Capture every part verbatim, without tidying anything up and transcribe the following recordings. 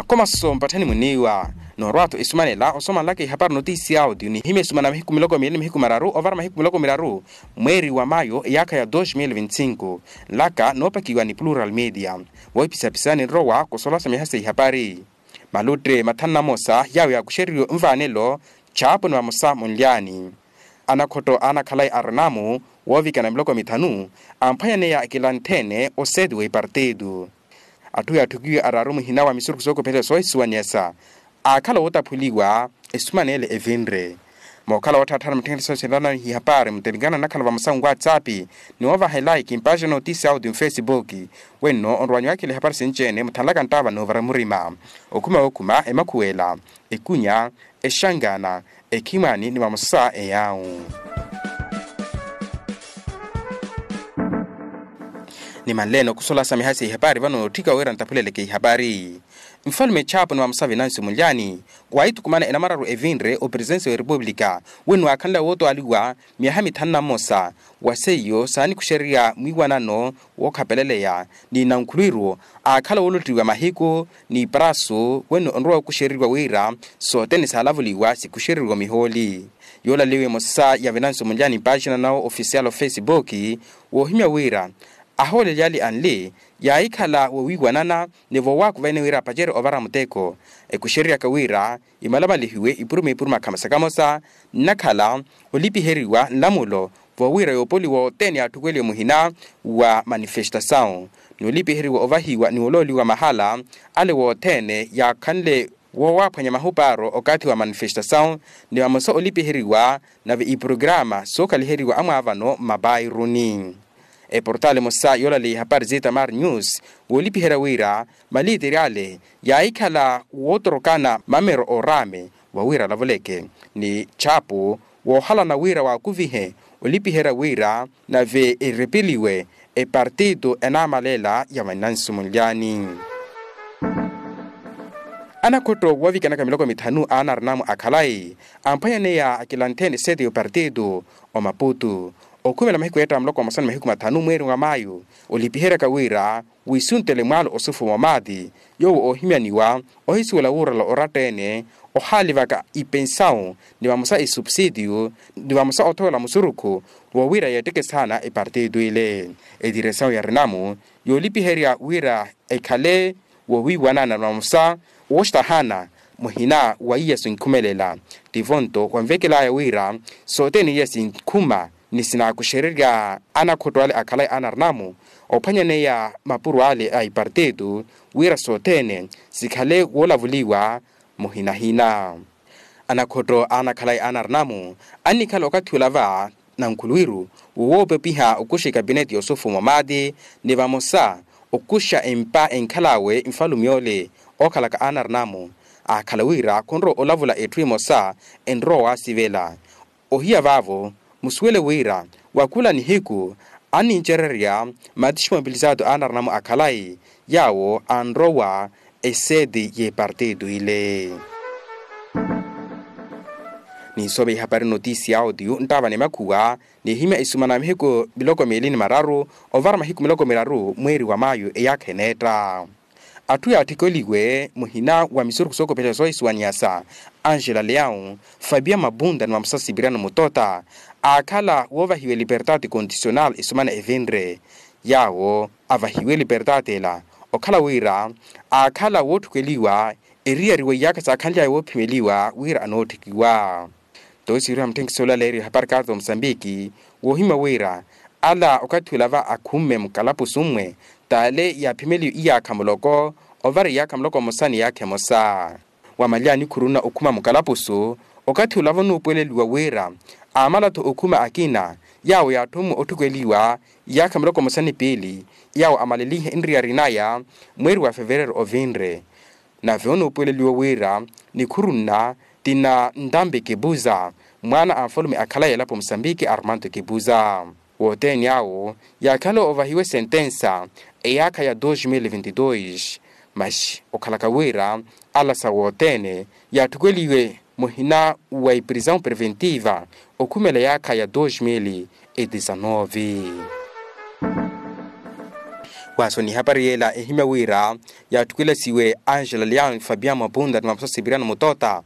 Akomaso mpatthani muniiwa. Noorwa-tho esumanela osomanlaka ihapari notisi ya audio nihimya esumana mahiku miloko miili ni mahiku mararu ovara mahiku miloko miraru mweeri wa mayo eyaakha ya dos mil vinti-sinku. Nlaka noopakiwa ni plural media. Voohipisapisa ninrowa kosolasa miha sa ihapari. Malutte mathanu na mosa yaawo yaakuxeriwe nvaanelo chaapo ni vamosa munlyaani. Anakhotto aanakhalayi arinamu woovikana miloko mithanu amphwanyaneya akilanthene oseeti w'ipartitu. Atthu yaatthukiwe araaru muhina wa misurukhu sookophela soohisuwaniyasa aakhala wootaphuliwa esumanele evinre. Mookhala wootthaatthana mutthengela soosinana ihapari muttelikana nnakhala vamosa nwatsapp ni woovaha elaiki mpaaxina notisi ya audio mfesipuki. Wenno onrowanyu wakhela ihapari sinci-ene muthanlaka nttaava noovara murima okhuma wookhuma emakhuwela ekunya exangana ekhimwani ni vamosa eyaawu. Nimanleene okusola sa miha sa ihapari vano nootthika wira ntaphuleleke ihapari. Nfalume chaapo ni vamosa venancio munlyaani waahithukumana enamararu evinre opresensi wa erepupulika wenno waakhanle wootoaliwa myaha mithanu na mmosa. Wa seiyo saanikuxererya mwiiwanano wookhapeleleya ni nankhulwiru aakhala woolottiwa mahiku ni prasu wenno onrowa okuxereriwa wira sothene saalavuliwa sikuxereriwa mihooli. Yoolaliwe emosa ya venancio munlyaani mpaaxina nawo ofisiyali ofesipuki woohimya wira ahooleli ale anli yaahikhala wowiiwanana ni voowaakuvene wira apacerye ovara muteko ekuxereryaka wira imalamalihiwe ipuruma ipuruma kamosa kamosa nnakhala olipiheriwa nlamulo voowira yoopoliwa othene yaatthukweliwe muhina wa manifestasawu ni olipiheriwa ovahiwa ni olooliwa mahala ale wothene yaakhanle woowaaphwanya mahupaaro okathi wa manifestasawu ni vamosa olipiheriwa nave iprograama sookhaliheriwa amwaavano mmapairuni. Eportaali emosa yoolaleya ihapari zitamar news woolipiherya wira maliiteri ale yaahikhala wootorokana mamero ooraame wawira alavuleke ni chapu woohalana wira waakuvihe olipiherya wira nave erepeliwe epartitu enaamalela ya vanansi munlyaani. Anakhotto woovikanaka miloko mithanu aanarinamu akhalayi amphwanyaneya akilantheni seti y'opartitu omaputu okhumela mahiku eetta muloko wa masu ni mahiku mathanu mweeri wa mayu olipiheryaka wira wiisuntele mwaalo osufuma omaati yoowo oohimyaniwa ohisuwela wuurala oratta-ene ohaalivaka ipensawu ni vamosa esupsitiyu ni vamosa othowela musurukhu woowira yeetteke saana epartitu ile. Etiresawu ya rinamu yoolipiherya wira ekhale wowiiwanana vamosa wooxtahana muhina wa iya sinkhumelela tivo-nto wanvekelaya wira sothene iya sinkhuma ni sinaakuxererya anakhotto ale akhalayi anarinamu ophwanyaneya mapuro ale a ipartitu wira sothene sikhale woolavuliwa muhinahina. Anakhotto anakhalayi anarinamu annikhala okathi olava nankhuluwiru wowoopepiha okuxa ekapineti yoosufuma omaati ni vamosa okuxa empa enkhal'awe nfalume ole ookhalaka anarinamu aakhala wira khunrowa olavula etthu emosa enrowa waasivela. Ohiya vaavo musuwele wira wa khula nihiku annincererya matixi mobilizado anarinamu akhalayi yaawo anrowa eseti y'epartitu ile. Ninsome ihapari notisi ya audio nttaava ni makhuwa nihimya isumana mihiku miloko miili ni mararu ovara mahiku miloko miraru mweeri wa mayu eyaakha eneetta. Atthu yaatthikeliwe muhina wa misurukhu sookopelela soohisuwaniyasa angela leão, fabia mabunda ni vamosa sipiriano mutota aakhala woovahiwa libertati condicional isumana evinre yaawo avahiwe libertati ela okhala wira aakhala wootthukeliwa eriyari wa iyaakha saakhanly'aya woophimeliwa wira anootthekiwa. Toosiwiriha mutthenkisi olaleeriwa ehapari kaarta omusambiki woohimya wira ala okathi olava akhumme mukalapusu mmwe t'ale yaaphimeliwe iyaakha muloko ovara iyaakha muloko mmosa ni iyaakha emosa. Wamalyani khuruna okhuma mukalapusu okathi olava onuupuweleliwa wira aamala-tho okhuma akina yaawo yaatthumwe otthukeliwa iyaakha miloko mmosa ni piili yaawo amalelihe nriyari naya mweeri wa fevereru ovinre. Nave onuupuweleliwa wira nikhuru nna tina ntambi kipuza mwaana a nfalume akhalayi elapo musambiki armando kipuza. Wothene awo yaakhala ovahiwe sentensa eyaakha ya dos mil vinti dos. Masi okhalaka wira ala sa wothene yaatthukweliwe muhina wa iprisão preventiva okhumela eyaakha ya dos mil e desanove. Waaso ni ehapari yeela ehimya wira yaattukwelasiwe angela leon fabian mwapunta ni maposa sipiriano mutota,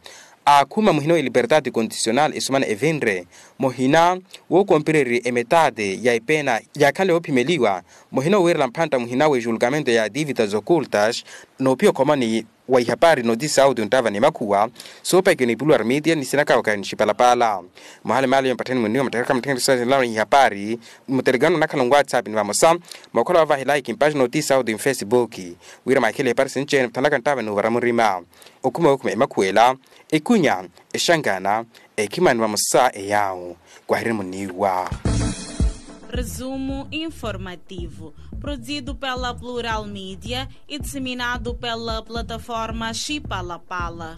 aakhuma muhina wa eliberdade condicional esumana evinre muhina wookompererye emetade ya epeena yaakhanle yoophimeliwa muhina owiirela mphantta muhina wa ejulgamento ya dividas ocultas. Noopiya okhomani wa ihapari notisi audio nttava ni makhuwa soopakiwa ni puluwar media ni sinakawaka ni xipalapala. Mwahalemale yompattheni munniwa mattakharaka mutthekeni saselawa ihapari mutelegano onakhala nwatsapp ni vamosa mwakhula wavaha elike mpaxina notisi audio nfesibuki wira mwakhele ihapari sinci-ene muthanlaka nttava ni ovara murima. Okhuma wokhuma emakhuwela, ekunya, exangana, ekhimani vamosa eyawu. Kwahirini muniiwa. Resumo informativo, produzido pela plural media e disseminado pela plataforma xipalapala.